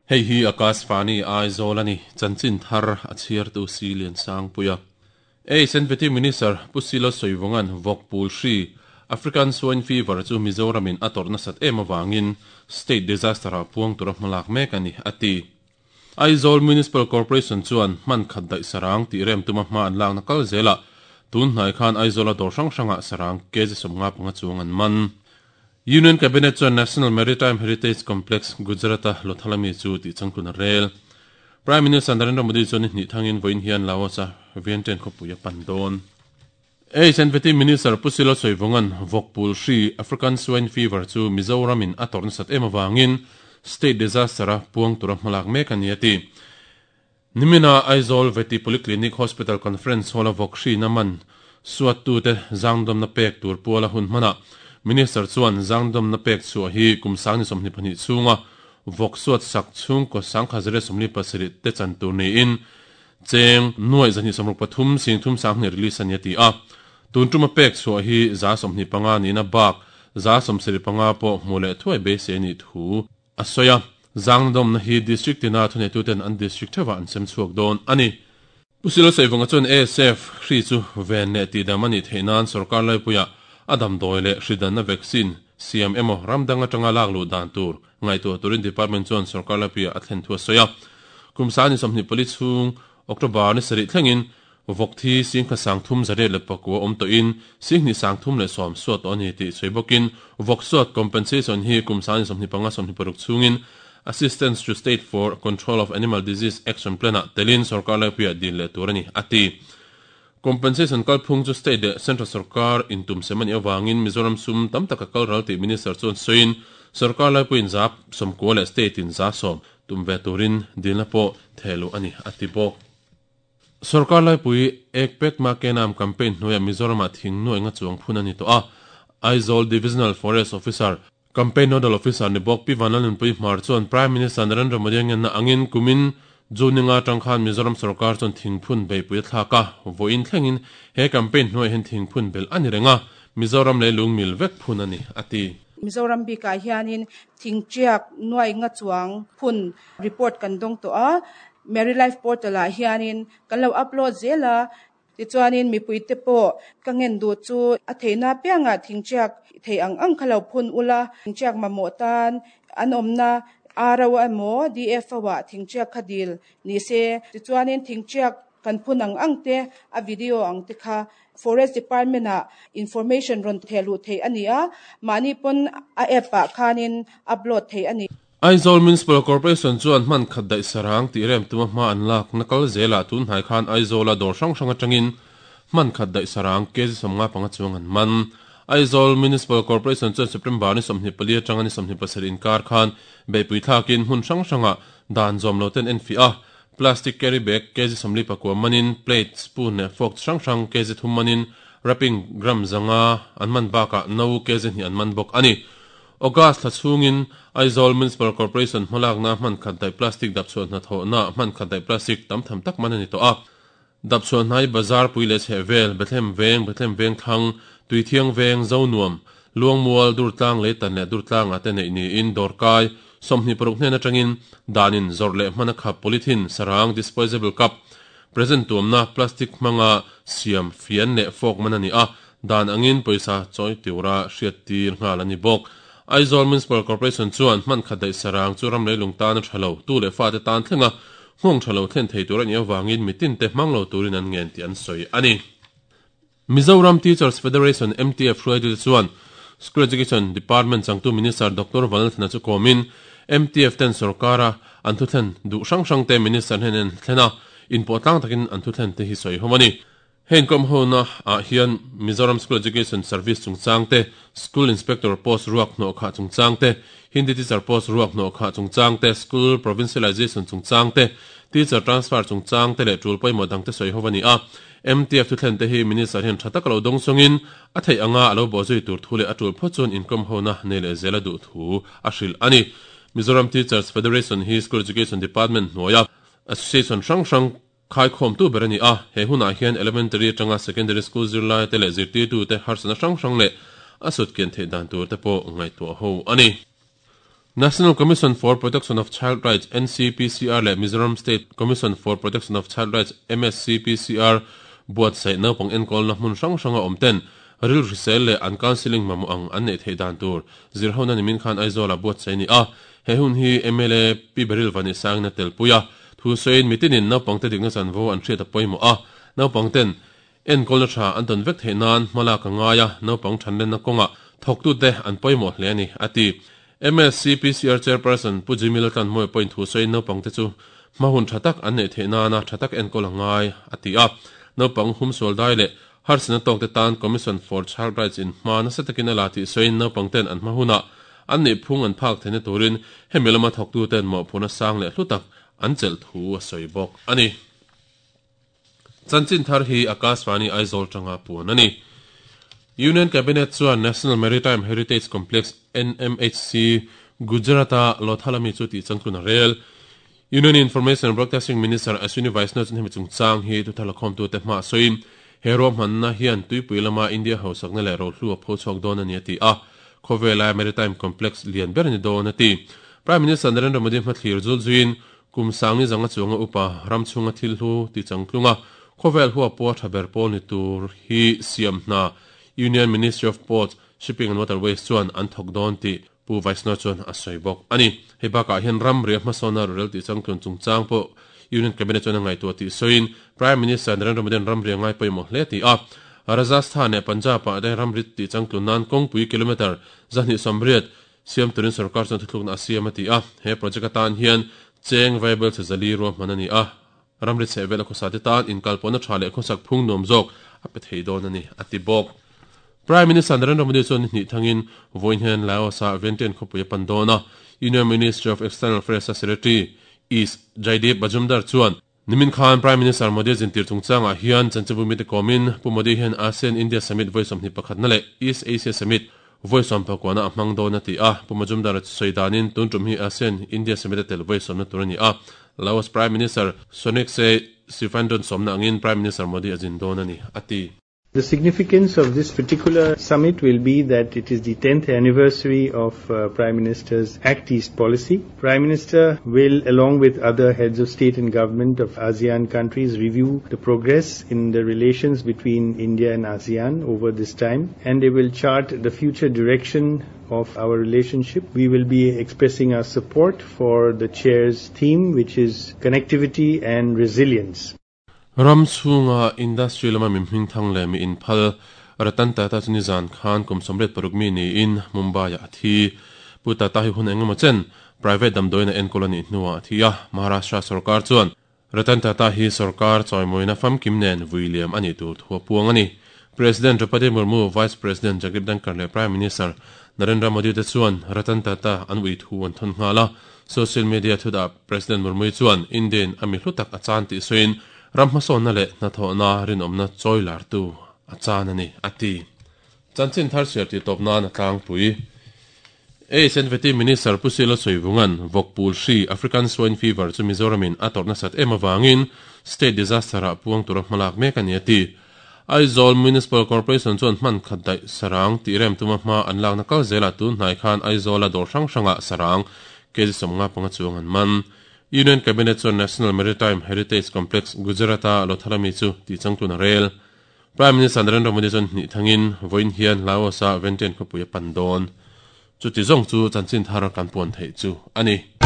Hei hi Akashvani Aizawl a ni, chanchin thar a chhiartu Si Liansangpuia. Ei Senveti Minister Pu Silo Sawivawnga'n vawk pul hri, African Swine Fever, chu Mizoramin a tawrh nasat em avangin State Disaster-ah puang tura hmalak mek a ni, a ti. Aizawl Municipal Corporation chuan hman khat daih sarang tih rem tuma hma an lakna kal zelah tun hnai khan Aizawla dawr hrang hrangah sarang kg 55 chuang an man. Union Cabinet chuan National Maritime Heritage Complex, Gujarat-a Lothal ami chu tih changtlun a rel. Prime Minister Narendra Modi chuan ni hnih thangin vawiin hian Laos-a Vientiane khawpui a pan dawn. HNVT Minister Pu Silo Sawivawnga'n vawk pul hri, African Swine Fever, chu Mizoramin a tawrh nasat em avangin State Disaster-a puang tura hmalak mek a ni a ti. Nimina Aizawl Vety Polyclinic Hospital Conference Hall-a vawk hrina man suattute zangdawmna pek tur puala hun hmanah Minister chuan zangdawmna pek chhuah hi kum 22 chhunga vawk suat sak chhungkaw 1147 te chan tur niin Cheng nuaih 263 sing thum sanghnih release a ni a ti a. Tun tuma pek chhuah hi 25 nihna bak 75 pawh hmuh leh thuai beisei a nih thu a sawi a. Zangnadawmna hi District tina thuneituten an District theuhah an sem chhuak dawn a ni. Pu Silo Saivunga chuan ASF hri chu ven leh tihdam a nih theih nan sorkar laipuiah a damdawi leh hri danna vaccine siam emaw ram dang atanga lak luh dan tur ngaihtuah turin Department chuan sorkar laipuiah a thlen thu a sawi a. Kum sani 24 chhung October ni sarih thlengin vawk thi singkha 309 awm tawhin 2 310 suat tawh a ni tih sawi bawkin vawk suat compensation hi kum sani 25 26 chhungin Assistance to State for Control of Animal Disease Action Plan-ah telin sorkar laipuiah dil leh tur a ni, a ti. Compensation kalphung chu state leh central sorkar intum sem a nih avangin Mizoram sum tam taka kal ral tih Minister chuan sawiin sorkar laipuiin 90% leh state in 10% tum ve turin dilna pawh theh luh a ni, a ti bawk. Sorkar laipui Ek Pet Ma Ke Naam campaign hnuaiah Mizoramah thing nuai nga chuang phun a ni tawh a, Aizawl Divisional Forest Officer, Campaign Nodal Officer ni bawk Pi Vanlalnunpui Hmar chuan Prime Minister Narendra Modi a ngenna angin kumin June ninga atang khan Mizoram sorkar chuan thingphun beihpui a thlak a, vawiin thlengin he campaign hnuaiah hian thingphun belh a ni reng a, Mizoram lei lung mil vek phun a ni, a ti. Mizoram bikah hianin thingtiak nuai nga chuang phun report kan dawng tawh a, Merry Life Portal ah hianin kan lo upload zel a, Tichuanin mipuite pawh ka ngen duh chu a theihna apiangah thingtiak thei ang ang kha lo phun ula, thingtiak mamawh tan an awmna RO emaw DFO ah thingtiak kha dil ni se. Tichuanin thingtiak kan phun ang ang te a video ang te kha Forest Department ah information rawn theh luh theih a ni a, mahni pawn a app ah khanin upload theih a ni. Aizawl Municipal Corporation chuan hman khat daih sarang tih rem tuma hma an lak na kal zelah tun hnai khan Aizawla dawr hrang hrang atangin hman khat daih sarang kg 55 chuang an man. Aizawl Municipal Corporation chuan September ni 24 atanga ni 27 inkar khan beihpui thlakin hmun hrang hrangah dan zawm lo ten enfiah a, plastic carry bag kg 49 manin, plate, spoon leh fork chi hrang hrang kg 3 manin, wrapping gram 500 an man bakah no kg 2 an man bawk a ni. August thla chhungin Aizawl Municipal Corporation hmalakna hman khat daih plastic dapchhuah hnathawhna hman khat daih plastic tam tham tak man a ni tawh a. Dapchhuah hnai bazar pui leh chheh vel, Bethlehem Veng, Bethlehem Vengthlang, Tuithiang Veng, Zonuam, Luangmual, Durtlang Leitan leh Durtlangah te neih niin dawrkai 26 hnen atangin danin zawrh leh hman a khap polythene, sarang, disposable cup, present tuamna, plastic hmanga siam fian leh fork man a ni a. Dan angin pawisa chawi tura hriattir nghal a ni bawk. Aizawl Municipal Corporation chuan hman khat daih sarang chu ram leilung tan a tha lo, tu leh fate tan thlenga nghawng tha lo thlen thei tur a nih avangin mitin te hmang lo turin an ngen tih an sawi a ni. Mizoram Teachers Federation, MTF, hruaitute chuan School Education Department changtu Minister Doctor Vanlalthana chu kawmin MTF ten sorkara an thuthlen duh hrang hrang te Minister hnen an thlen a, inpawh tlang takin an thuthlen te hi sawi hawm a ni. Heng kawmhona ah hian Mizoram School Education Service chungchang te, School Inspector post ruak hnawh khah chungchang te, Hindi Teacher post ruak hnawh khah chungchang te, School Provincialization chungchang te, Teacher Transfer chungchang te leh tul pawimawh dang te sawi ho a ni a. MTF thuthlen te hi Minister hian tha taka lo dawng chungin a theih anga a lo bawhzui tur thu leh a tul phawt chuan inkawmhona nei leh zel a duh thu a hrilh a ni. Mizoram Teachers Federation hi School Education Department hnuaia Association hrang hrang Khaikhawmtu ber a ni a, he hunah hian Elementary atanga Secondary School zirlaite leh zirtirtute harsatna hrang hrang leh a sut kian theih dan tur te pawh ngaihtuah ho a ni. National Commission for Protection of Child Rights, NCPCR, leh Mizoram State Commission for Protection of Child Rights, MSCPCR, buatsaih naupang enkawlna hmun hrang hranga awm ten rilru hrisel leh an counselling mamawh ang an neih theih dan tur zirhona nimin khan Aizawla buatsaih a ni a. He hun hi mla Pi Beryl Vanisangin a telpui a, thu sawiin mitinin naupangte dikna chanvo an hriat a pawimawh a, naupangten Enkawlna tha an tawn vek theih nan hma lak a ngai a, naupang thanlenna kawngah thawktute an pawimawh hle a ni, a ti. MSCPCR Chairperson Pu Jimmy Laltlanhmawia pawhin thu sawiin naupangte chu hma hun tha tak an neih theih nana tha tak enkawl a ngai, a ti a. Naupang humsual dai leh harsatna tawkte tan Commission for Child Rights in hma nasa takin a la tih sawiin naupangten an hma hunah an nih phung an phak theihna turin hemi lama thawktuten mawhphurhna sang leh hlu tak an chelh thu a sawi bawk a ni. Chanchin thar hi Akashvani Aizawl tanga puan a ni. Union Cabinet chuan National Maritime Heritage Complex, NMHC, Gujarat-a Lothal ami chu tih changtlun a rel. Union Information and Broadcasting Minister Ashwini Vaishnaw chuan hemi chungchang hi thuthar lakhawmtute hmaah sawiin, he ruahmanna hian tuipui lama India hausakna leh rohlu a pho chhuak dawn a ni a ti a. Khawvela Maritime Complex lian ber a ni dawn a ti. Prime Minister Narendra Modi hmathlir zul zuiin Kum sangni zanga chuanga upa ram chhunga thil hlu ti changtlunga khawvel hua pawha tha ber pawl ni tur hi siam hna Union Ministry of Ports, Shipping and Waterways chuan an thawk dawn tih Pu Vaishnaw chuan a sawi bawk a ni. Hei bakah hian ram ria hmasawnna rorel tih changtlun chungchang pawh Union Cabinet chuan a ngaihtuah tih sawiin Prime Minister Narendra Modi-a'n ram ria ngai pawimawh hle ti a, Rajasthan leh Punjab-ah te ramri tih changtlun nan kawngpui kilometre 280 Siam turin sorkar chuan thuthlukna a siam a ti a, he project atan hian cheng vaibel chhe zali ruahman a ni a, ramri chheh vel a khawsa te tan inkalpawhna tha leh khawsak phung nuam zawk a pe thei dawn a ni, a ti bawk. Prime Minister Narendra Modi chuan ni hnih thangin vawiin hian Laos-ah Vientiane khawpui a pan dawn a, Union Ministry of External Affairs-a Secretary East Jaideep Majumdar chuan Nimin khan Prime Minister Modi zintir chungchangah hian chanchinbu mite kawmin Pu Modi hian ASEAN-India Summit vawi 21 na leh East Asia Summit vawi sawmpakua a hmang dawn a ti a. Pu Majumdar a sawi danin tun tum hi ASEAN-India Summit a tel vawi sawmna tur a ni a. Laos Prime Minister Sonexay Siphandone sawmna angin Prime Minister Modi a zin dawn a ni, a ti. The significance of this particular summit will be that it is the 10th anniversary of uh, Prime Minister's Act East policy. Prime Minister will, along with other heads of state and government of ASEAN countries, review the progress in the relations between India and ASEAN over this time, and they will chart the future direction of our relationship. We will be expressing our support for the chair's theme, which is connectivity and resilience. Ram chhunga industry lama mi hmingthang leh mi inphal Ratan Tata chu nizan khan kum 86 mi niin Mumbai-ah a thi. Pu Tata hi hun engemaw chen private damdawiin a enkawl a nih hnuah a thi a, Maharashtra sorkar chuan Ratan Tata hi sorkar chawimawina famkim nen vui liam a nih tur thu a puang a ni. President Draupadi Murmu, Vice President Jagdeep Dhankhar leh Prime Minister Narendra Modi te chuan Ratan Tata an ui thu an thawn nghal a. Social media thudah President Murmu chuan Indian a mi hlu tak a chan tih sawiin ram hmasawnna leh hnathawhna rinawmna chawi lartu a chan a ni, a ti. Chanchin thar chhiar tih tawp nan a tlangpui. ASNVT Minister Pu Silo Sawivunga'n vawkpul hri, African Swine Fever, chu Mizoramin a tawrh nasat em avangin State Disaster-ah puang tura hmalak mek a ni a ti. Aizawl Municipal Corporation chuan hman khat daih sarang tih rem tuma hma an lakna kal zelah tun hnai khan Aizawla dawr hrang hrangah sarang kg 55 chuang an man. Union Cabinet chuan National Maritime Heritage Complex Gujarat-a Lothalami chu tih changtlun a rel. Prime Minister Narendra Modi chuan hnih thangin vawiin hian Laos-a Vientiane khawpui a pan dawn. Chuti zawng chu chanchin thar kan puan theih chu a ni.